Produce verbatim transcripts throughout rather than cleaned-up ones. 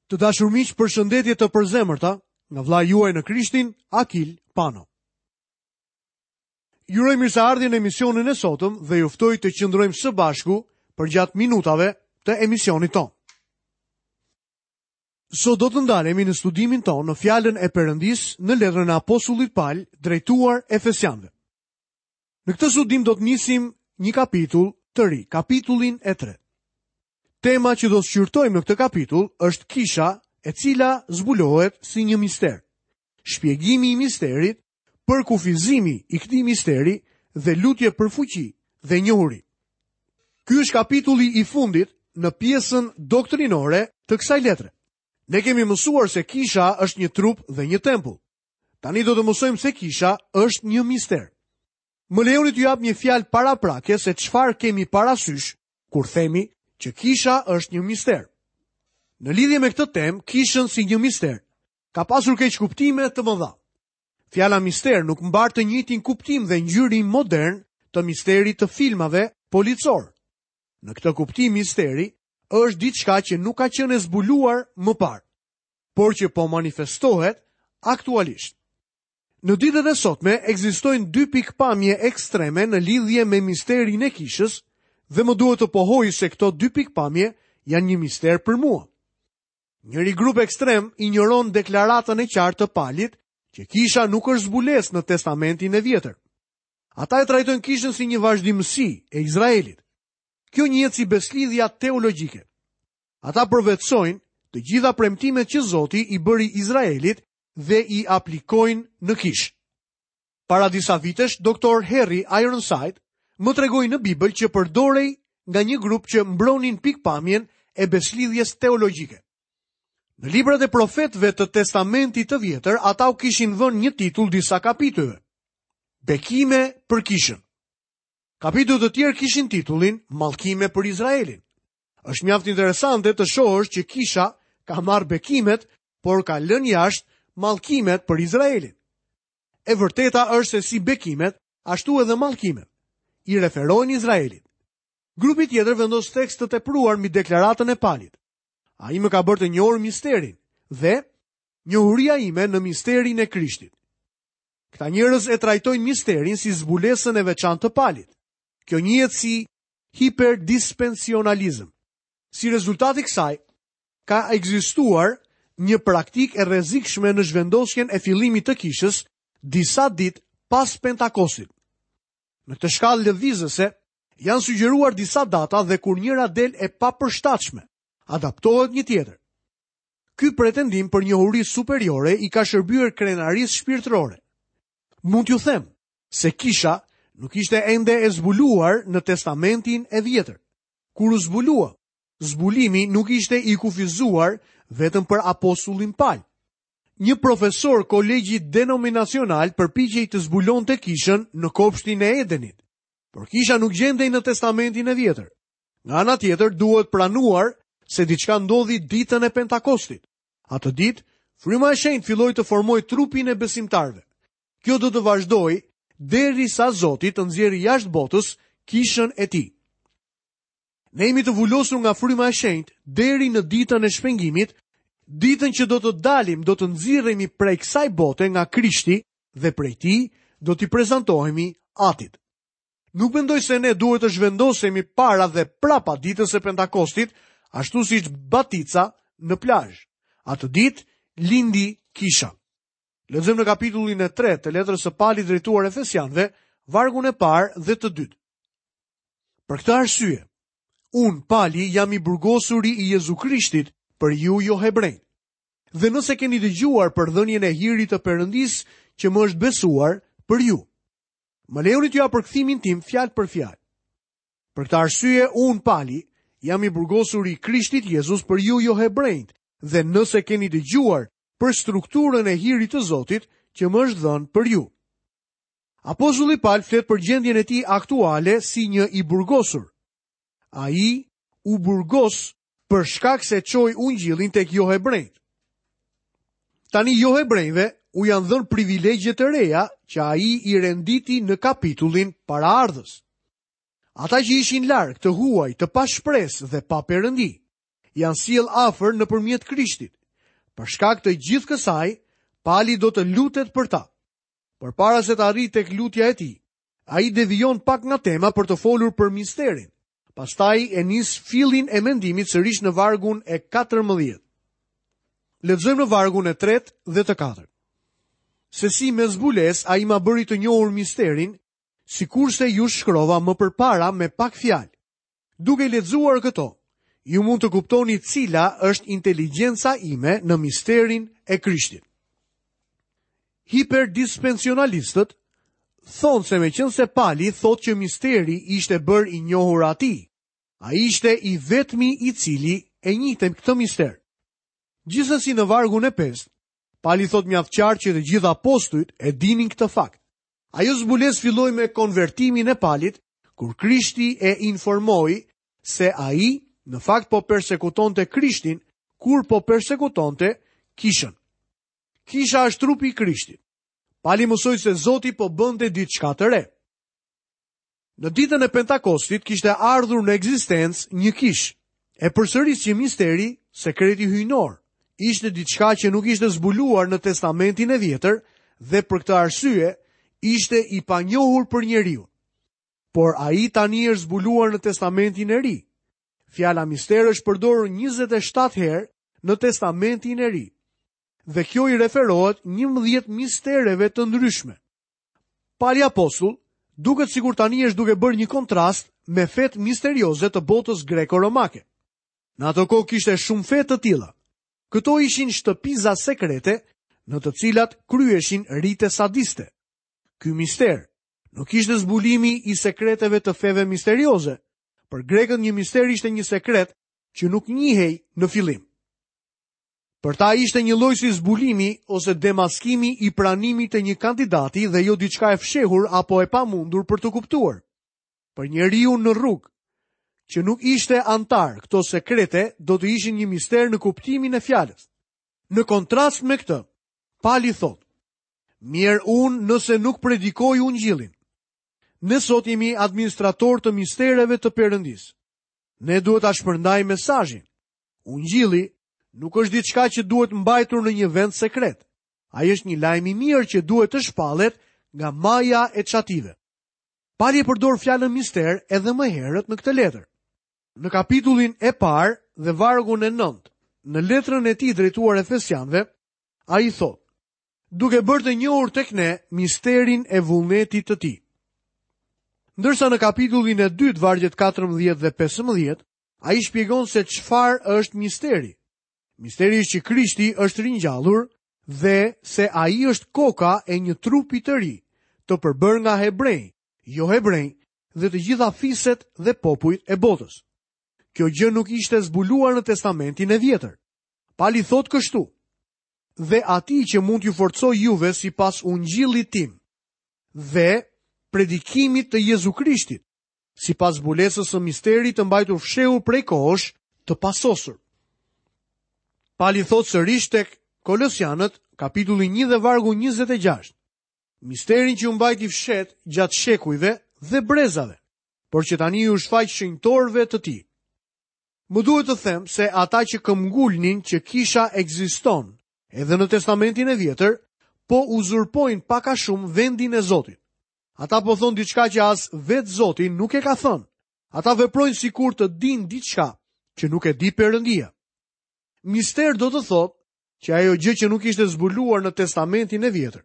Të dashur miq, përshëndetje të përzemërta nga vëllai juaj në Krishtin, Akil Pano. Ju uroj mirëseardhjen në emisionin e sotëm dhe ju ftoj të qëndrojmë së bashku përgjatë minutave të emisionit tonë. Sot do të ndalemi në studimin tonë në fjalën e Perëndisë në letrën e Apostullit Pal drejtuar Efesianëve. Në këtë studim do të nisim një kapitull të ri, kapitullin e tretë. Tema që do të shqyrtojmë në këtë kapitull është kisha, e cila zbulohet si një mister. Shpjegimi i misterit, përkufizimi i këtij misteri dhe lutje për fuqi dhe njohuri. Ky është kapitulli i fundit në pjesën doktrinore të kësaj letre. Ne kemi mësuar se kisha është një trup dhe një tempull. Tani do të mësojmë se kisha është një mister. Më lejoni t'ju jap një fjalë paraprake se çfarë kemi parasysh kur themi që kisha është një mister. Në lidhje me këtë temë, kishën si një mister, ka pasur keq kuptime të mëdha. Fjala mister nuk mbart të njëjtin kuptim dhe ngjyrim modern të misterit të filmave policor. Në këtë kuptim misteri është diçka që nuk ka qenë e zbuluar më parë, por që po manifestohet aktualisht. Në ditët e sotme ekzistojnë dy pikpamje ekstreme në lidhje me misterin e kishës dhe më duhet të pohoj se këto dy pikpamje janë një mister për mua. Njëri grup ekstrem injoron deklaratën e qartë të Palit që kisha nuk është zbulesë në Testamentin e Vjetër. Ata e trajtojnë kishën si një vazhdimësi e Izraelit. Kjo njihet si beslidhja teologjike. Ata përvetësojnë të gjitha premtimet që Zoti i bëri Izraelit dhe i aplikojnë në kishë. Para disa vitesh, doktor Harry Ironside më tregoi në Bibël që përdorej nga një grup që mbronin pikpamjen e beslidhjes teologjike. Në librat e profetëve të Testamentit të Vjetër, ata u kishin vënë një titull disa kapitujve. Bekime për kishën. Kapituj të tjerë kishin titullin Mallkime për Izraelin. Është mjaft interesante të shohësh që kisha ka marrë bekimet, por ka lënë jashtë mallkimet për Izraelin. E vërteta është se si bekimet, ashtu edhe mallkimet i referojnë Izraelit. Grupi tjetër vendos tekst të tepruar mbi deklaratën e Palit. Ai më ka bërë të njohur misterin dhe njohuria ime në misterin e Krishtit. Këta njerëz e trajtojnë misterin si zbulesën e veçantë të Palit. Kjo njihet si hiperdispensionalizëm. Si rezultat i kësaj, ka ekzistuar një praktikë e rrezikshme në zhvendosjen e fillimit të kishës disa ditë pas Pentakostit. Në këtë shkallë lëvizëse janë sugjeruar disa data dhe kur njëra del e papërshtatshme, adaptohet një tjetër. Ky pretendim për njohuri superiore i ka shërbyer krenarisë shpirtërore. Mund t'ju them se kisha nuk ishte ende e zbuluar në Testamentin e Vjetër. Kur u zbulua, zbulimi nuk ishte i kufizuar vetëm për apostullin Pal. Një profesor kolegji denominacional përpiqej të zbulonte kishën në kopshtin e Edenit, por kisha nuk gjendej në Testamentin e Vjetër. Nga ana tjetër duhet pranuar se diçka ndodhi ditën e Pentakostit. Atë ditë, Fryma e Shenjtë filloi të formojë trupin e besimtarëve. Kjo do të vazhdojë derisa Zoti të nxjerrë jashtë botës kishën e tij. Ne jemi të vulosur nga Fryma e Shenjtë deri në ditën e shpengimit, ditën që do të dalim, do të nxirremi prej kësaj bote nga Krishti dhe prej tij do t'i prezantohemi Atit. Nuk mendoj se ne duhet të zhvendosemi para dhe prapa ditës së Pentakostit, ashtu siç batica në plazh. Atë ditë lindi kisha. Lexojmë në kapitullin e tretë të letrës së Palit drejtuar Efesianëve, vargun e parë dhe të dytë. Për këtë arsye, unë, Pali, jam i burgosuri i Jezu Krishtit për ju jo hebrejt. Dhe nëse keni dëgjuar për dhënien e hirit të Perëndisë që më është besuar për ju. Më lejoni t'ju jap përkthimin tim fjalë për fjalë. Për këtë arsye, unë, Pali, jam i burgosuri i Krishtit Jezus për ju jo hebrejt, dhe nëse keni dëgjuar për strukturën e hirit të Zotit që më është dhënë për ju. Apostulli Pal flet për gjendjen e tij aktuale si një i burgosur. Ai u burgos për shkak se çoi ungjillin tek jo hebrejt. Tani jo hebrejve u janë dhënë privilegje të reja që ai i renditi në kapitullin paraardhës. Ata që ishin larg, të huaj, të pashpresë dhe pa perëndi, janë sjellë afër nëpërmjet Krishtit. Për shkak të gjithë kësaj, Pali do të lutet për ta. Përpara se të arrijë tek lutja e tij, ai devijon pak nga tema për të folur për misterin. Pastaj e nis fillin e mendimit sërish në vargun e katërmbëdhjetë. Lexojmë në vargun e tretë dhe të katërt. Se si me zbulesë ai ma bëri të njohur misterin, sikurse ju shkrova më përpara me pak fjalë. Duke lexuar këto, ju mund të kuptoni cila është inteligjenca ime në misterin e Krishtit. Hiperdispensionalistët thonë se meqenëse Pali thotë që misteri ishte bërë i njohur atij, ai ishte i vetmi i cili e njihte këtë mister. Gjithsesi në vargun e pestë, Pali thotë mjaft qartë që të gjithë apostujt e dinin këtë fakt. Ajo zbulesë filloi me konvertimin e Palit, kur Krishti e informoi se ai në fakt po persekutonte Krishtin, kur po persekutonte kishën. Kisha është trupi i Krishtit. Pali mësoi se Zoti po bënte diçka të re. Në ditën e Pentakostit kishte ardhur në ekzistencë një kishë. E përsëris që misteri, sekreti hyjnor, ishte diçka që nuk ishte zbuluar në Testamentin e Vjetër dhe për këtë arsye ishte i panjohur për njeriu. Por ai tani është zbuluar në Testamentin e Ri. Fjala mister është përdorur njëzet e shtatë herë në Testamentin e Ri. Dhe kjo i referohet njëmbëdhjetë mistereve të ndryshme. Pali apostull duket sikur tani është duke bërë një kontrast me fetë misterioze të botës greko-romake. Në ato kohë kishte shumë fe të tilla. Këto ishin shtëpiza sekrete në të cilat kryeshin rite sadiste. Ky mister nuk ishte zbulimi i sekreteve të feve misterioze. Për grekët një mister ishte një sekret që nuk njihej në fillim. Për ta ishte një lloj si zbulimi ose demaskimi i pranimit të një kandidati dhe jo diçka e fshehur apo e pamundur për të kuptuar. Për njeriu në rrugë, që nuk ishte antar, këto sekrete do të ishin një mister në kuptimin e fjalës. Në kontrast me këtë, Pali thotë: Mirë unë nëse nuk predikoj ungjillin. Ne sot jemi administrator të mistereve të Perëndisë. Ne duhet ta shpërndajmë mesazhin. Ungjilli nuk është diçka që duhet mbajtur në një vend sekret. Ai është një lajm i mirë që duhet të shpallet nga maja e çative. Pali e përdor fjalën mister edhe më herët në këtë letër. Në kapitullin e parë dhe vargun e nëntë, në letrën e tij drejtuar Efesianëve, ai thotë: duke bërë të njohur tek ne misterin e vullnetit të tij. Ndërsa në kapitullin e dytë, vargjet katërmbëdhjetë dhe pesëmbëdhjetë, ai shpjegon se çfarë është misteri. Misteri është që Krishti është ringjallur dhe se ai është koka e një trupi të ri, të përbërë nga hebrej, jo hebrej, dhe të gjitha fiset dhe popujt e botës. Kjo gjë nuk ishte zbuluar në Testamentin e Vjetër. Pali thotë kështu: dhe atij që mund t'ju forcoj juve sipas ungjillit tim dhe predikimit të Jezu Krishtit, sipas zbulesës së misterit të mbajtur fshehur prej kohësh të pasosur. Pali thotë sërish tek Kolosianët, kapitulli një dhe vargu njëzet e gjashtë, misterin që u mbajti fshet gjatë shekujve dhe brezave, por që tani ju shfaq shenjtorëve të tij. Më duhet të them se ata që këmbgulnin që kisha ekziston edhe në Testamentin e Vjetër, po uzurpojnë pak a shumë vendin e Zotit. Ata po thonë diçka që as vetë Zoti nuk e ka thënë. Ata veprojnë sikur të dinë diçka që nuk e di Perëndia. Mister do të thotë që ajo gjë që nuk ishte zbuluar në Testamentin e Vjetër.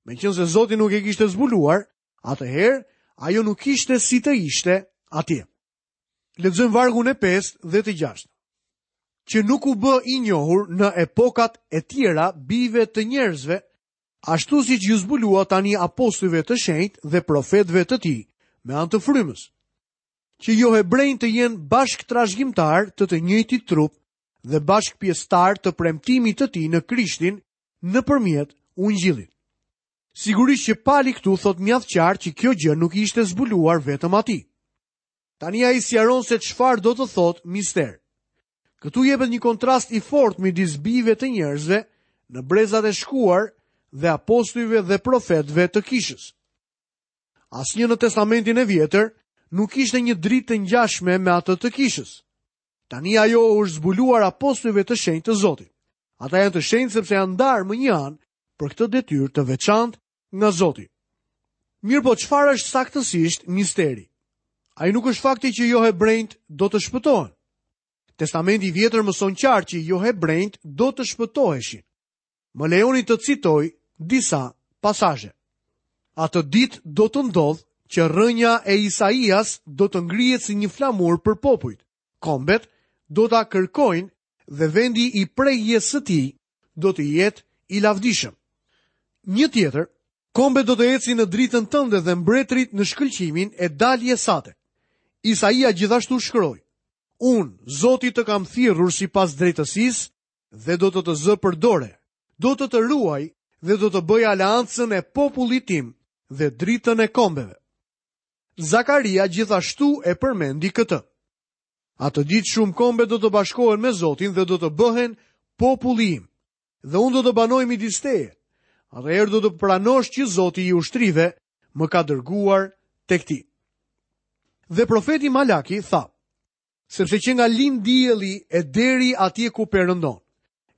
Meqense Zoti nuk e kishte zbuluar, atëherë ajo nuk ishte si të ishte atje. Lexojmë vargun e pestë dhe të gjashtë. Që nuk u bë i njohur në epokat e tjera bijve të njerëzve, ashtu siç ju zbulua tani apostujve të shenjtë dhe profetëve të tij, me anë të frymës, që jo hebrejnë të jenë bashkë trashëgimtar të të njëjtit trup dhe bashkë pjesëtar të premtimit të tij në Krishtin nëpërmjet ungjillit. Sigurisht që Pali këtu thot mjaft qartë që kjo gjë nuk ishte zbuluar vetëm atij. Tani ai sqaron se çfarë do të thotë mister. Këtu jepet një kontrast i fortë midis bijve të njerëzve në brezat e shkuar dhe apostujve dhe profetëve të kishës. Asnjë në Testamentin e Vjetër nuk ishte një dritë të ngjashme me atë të kishës. Tani ajo u është zbuluar apostujve të shenjtë të Zotit. Ata janë të shenjtë sepse janë ndarë më një anë për këtë detyrë të veçantë nga Zoti. Mirë po çfarë është saktësisht misteri? Ai nuk është fakti që jo hebrejt do të shpëtohen. Testamenti i vjetër mëson qartë që jo hebrejt do të shpëtoheshin. Më lejoni të citoj disa pasazhe. Atë ditë do të ndodh që rrënja e Isaias do të ngrihet si një flamur për popujt. Kombet do ta kërkojnë dhe vendi i prehjes së tij do të jetë i lavdishëm. Një tjetër, kombet do të ecin në dritën tënde dhe mbretërit në shkëlqimin e daljes sate. Isaia gjithashtu shkroi: Unë, Zoti, të kam thirrur sipas drejtësisë dhe do të të zë për dore, do të të ruaj dhe do të bëj aleancën e popullit tim dhe dritën e kombeve. Zakaria gjithashtu e përmendi këtë. Atë ditë shumë kombe do të bashkohen me Zotin dhe do të bëhen populli im, dhe unë do të banoj midis teje. Atëherë do të pranosh që Zoti i ushtrive më ka dërguar tek ti. Dhe profeti Malaki tha: sepse që nga lind dielli e deri atje ku perëndon,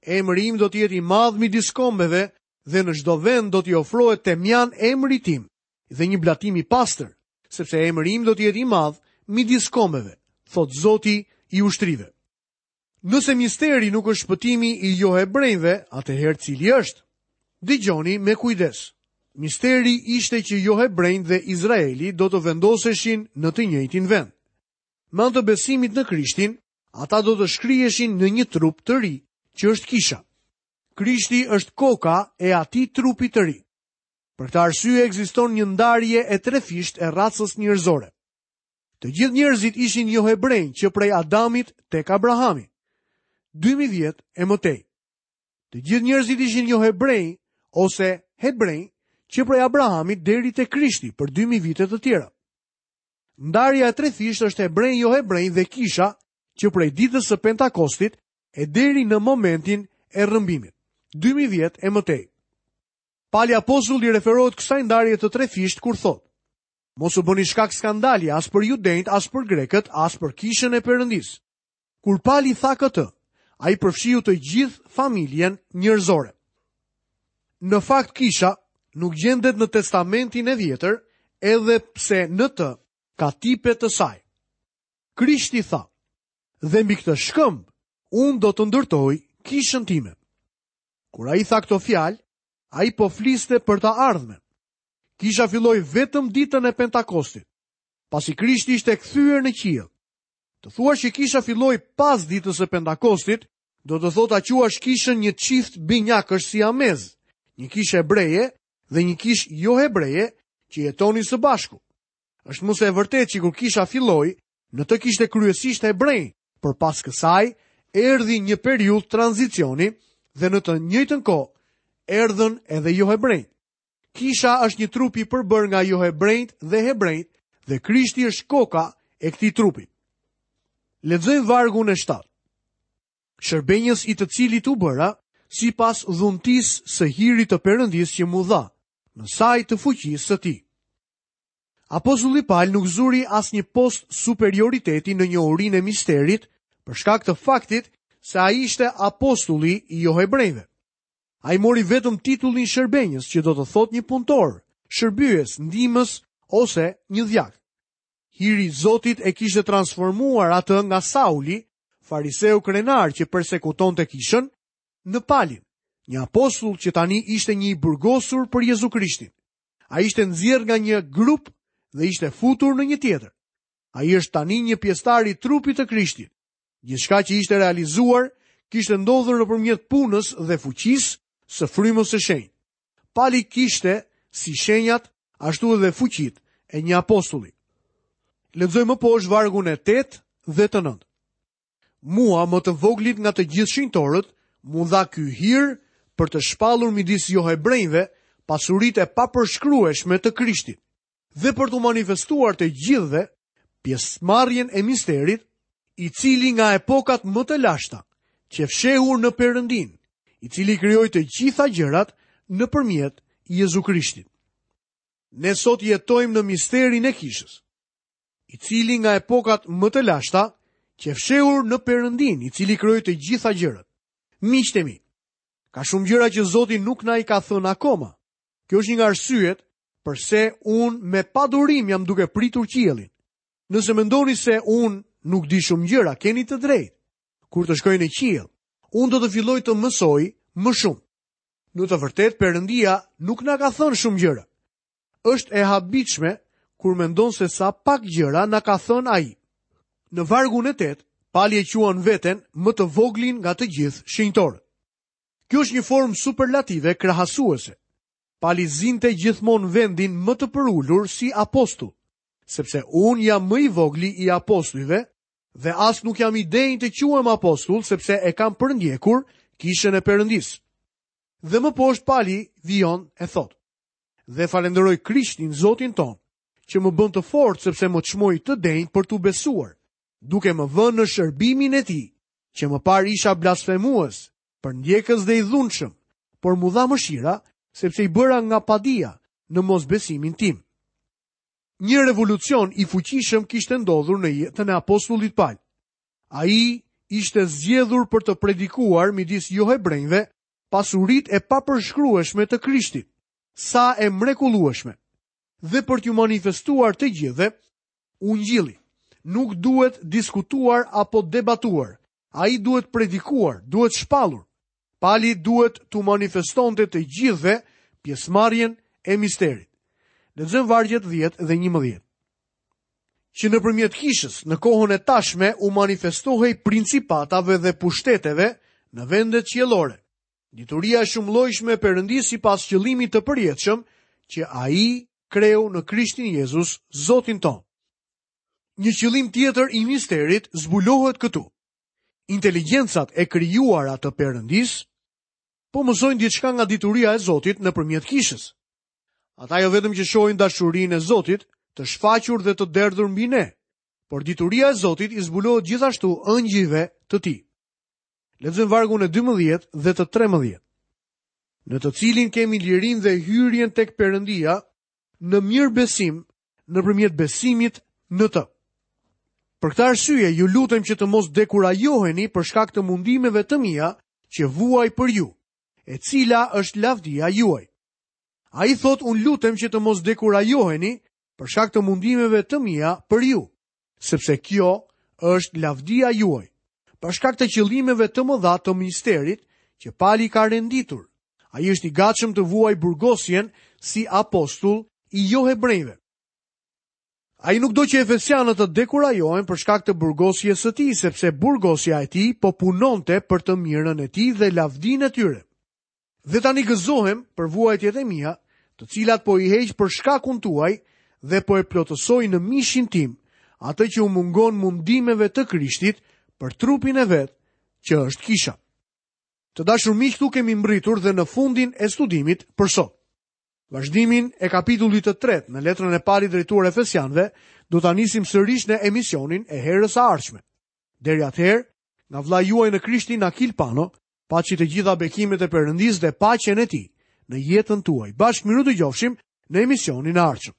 emri im do të jetë i madh midis kombeve dhe në çdo vend do t'i ofrohet temjan emrit tim dhe një blatim i pastër, sepse emri im do të jetë i madh midis kombeve, thot Zoti i ushtrive. Nëse misteri nuk është shpëtimi i johebrejve, atëherë cili është? Dëgjoni me kujdes. Misteri ishte që johebrejt dhe Izraeli do të vendoseshin në të njëjtin vend. Me anë të besimit në Krishtin, ata do të shkriheshin në një trup të ri, që është kisha. Krishti është koka e atij trupi të ri. Për këtë arsye ekziston një ndarje e trefisht e racës njerëzore. Të gjithë njerëzit ishin johebrenj që prej Adamit tek Abrahami, dy mijë vjet e më tej. Të gjithë njerëzit ishin johebrenj ose hebrenj që prej Abrahamit deri te Krishti për dy mijë vite të tjera. Ndarja e trefisht është hebrenj, johebrenj dhe kisha që prej ditës së Pentakostit e deri në momentin e rrëmbimit, dy mijë vjet e më tej. Pali apostulli referohet kësaj ndarje të trefisht kur thotë: Mos u bëni shkak skandali as për judenjt, as për grekët, as për kishën e Perëndisë. Kur Pali tha këtë, ai përfshiu të gjithë familjen njerëzore. Në fakt kisha nuk gjendet në Testamentin e Vjetër, edhe pse në të ka tipe të saj. Krishti tha: Dhe mbi këtë shkëmb unë do të ndërtoj kishën time. Kur ai tha këto fjalë, ai po fliste për të ardhmen. Kisha filloi vetëm ditën e Pentakostit, pasi Krishti ishte kthyer në qiell. Të thuash që kisha filloi pas ditës së Pentakostit, do të thotë ta quash kishën një çift binjakësh siamez, një kishë hebreje dhe një kishë jo hebreje që jetonin së bashku. Është më se e vërtetë që kur kisha filloi, në të kishte kryesisht hebrej, por pas kësaj erdhi një periudhë tranzicioni dhe në të njëjtën kohë erdhën edhe jo hebrejt. Kisha është një trup i përbërë nga johebrejt dhe hebrejt dhe Krishti është koka e këtij trupi. Lexojmë vargun e shtatë. Shërbenjës i të cilit u bëra, sipas dhuntisë së hirit të Perëndisë që mu dha, në saj të fuqisë së tij. Apostulli Paul nuk zuri asnjë post superioriteti në njohurinë e misterit, për shkak të faktit se ai ishte apostulli i johebrejve. Ai mori vetëm titullin shërbenjës, që do të thotë një punëtor, shërbyes, ndihmës ose një dhjak. Hiri i Zotit e kishte transformuar atë nga Sauli, fariseu krenar që persekutonte kishën, në Palin, një apostull që tani ishte një i burgosur për Jezu Krishtin. Ai ishte nxjerrë nga një grup dhe ishte futur në një tjetër. Ai është tani një pjesëtar i trupit të Krishtit. Gjithçka që ishte realizuar kishte ndodhur nëpërmjet punës dhe fuqisë së frymës së shenjtë. Pali kishte si shenjat, ashtu edhe fuqitë e një apostulli. Lexojmë më poshtë vargun e tetë dhe të nëntë. Mua, më të voglit nga të gjithë shenjtorët, mu dha ky hir për të shpallur midis johebrejve pasuritë e papërshkrueshme të Krishtit dhe për t'u manifestuar të gjithëve pjesëmarrjen e misterit, i cili nga epokat më të lashta që fshehur në Perëndin, i cili krijoi të gjitha gjërat nëpërmjet Jezu Krishtit. Ne sot jetojmë në misterin e kishës, i cili nga epokat më të lashta Qe fshehur në Perëndinë, i cili krijoi të gjitha gjërat. Miqtë e mi, ka shumë gjëra që Zoti nuk na i ka thënë akoma. Kjo është një nga arsyet përse unë me padurim jam duke pritur qiellin. Nëse mendoni se unë nuk di shumë gjëra, keni të drejtë. Kur të shkoj në qiell, unë do të filloj të mësoj më shumë. Në të vërtetë, Perëndia nuk na ka thënë shumë gjëra. Është e habitshme kur mendon se sa pak gjëra na ka thënë ai. Në vargun e tetë, Pali e quan veten më të voglin nga të gjithë shenjtorët. Kjo është një formë superlative krahasuese. Pali zinte gjithmonë vendin më të përulur si apostull, sepse unë jam më i vogli i apostujve dhe as nuk jam i denjë të quhem apostull, sepse e kam përndjekur kishën e Perëndisë. Dhe më poshtë Pali vijon e thotë: Dhe falenderoj Krishtin, Zotin ton, që më bën të fortë sepse më çmoi të denjë për t'u besuar, duke më vënë në shërbimin e tij, që më parë isha blasfemues, përndjekës dhe i dhunshëm, por mu dha mëshira, sepse i bëra nga padia në mosbesimin tim. Një revolucion i fuqishëm kishte ndodhur në jetën e apostullit Paul. Ai ishte zgjedhur për të predikuar midis johebrenjve pasuritë e papërshkrueshme të Krishtit, sa e mrekullueshme, dhe për t'ju manifestuar të gjithëve ungjilli. Nuk duhet diskutuar apo debatuar. Ai duhet predikuar, duhet shpallur. Pali duhet t'u manifestonte të gjithëve pjesëmarrjen e misterit. Lexojmë vargjet dhjetë dhe njëmbëdhjetë. Që nëpërmjet kishës në kohën e tashme u manifestohej principatave dhe pushteteve në vendet qiellore. Dituria e shumëllojshme e Perëndisë sipas qëllimit të përjetshëm që ai kreu në Krishtin Jezus, Zotin ton. Një qëllim tjetër i misterit zbulohet këtu. Inteligjencat e krijuara të Perëndisë po mësojnë diçka nga dituria e Zotit nëpërmjet kishës. Ata jo vetëm që shohin dashurinë e Zotit, të shfaqur dhe të derdhur mbi ne, por dituria e Zotit i zbulohet gjithashtu ëngjëjve të tij. Lexojmë vargun e dymbëdhjetë dhe të trembëdhjetë. Në të cilin kemi lirinë dhe hyrjen tek Perëndia në mirëbesim nëpërmjet besimit në të. Për këtë arsye ju lutem që të mos dekurajoheni për shkak të mundimeve të mia që vuaj për ju, e cila është lavdia juaj. Ai thot, unë lutem që të mos dekurajoheni për shkak të mundimeve të mia për ju, sepse kjo është lavdia juaj. Për shkak të qëllimeve të mëdha të misterit që Pali ka renditur, ai është i gatshëm të vuaj burgosjen si apostull i johebrejve. Ai nuk do që efesianët të dekurajohen për shkak të burgosjes së tij, sepse burgosja e tij po punonte për të mirën e tij dhe lavdinë e tyre. Dhe tani gëzohem për vuajtjet e mia, të cilat po i heq për shkakun tuaj dhe po e plotësoj në mishin tim, atë që u mungon mundimeve të Krishtit për trupin e vet, që është kisha. Të dashur miq, këtu kemi mbritur dhe në fundin e studimit për sot. Vazhdimin e kapitullit të tretë në letrën e Palit drejtuar Efesianëve do ta nisim sërish në emisionin e herës së ardhshme. Deri atëherë, nga vëllai juaj në Krishtin Akil Pano, paçi të gjitha bekimet e Perëndisë dhe paqen e tij në jetën tuaj. Bashkë mirudëgjofshim në emisionin e ardhshëm.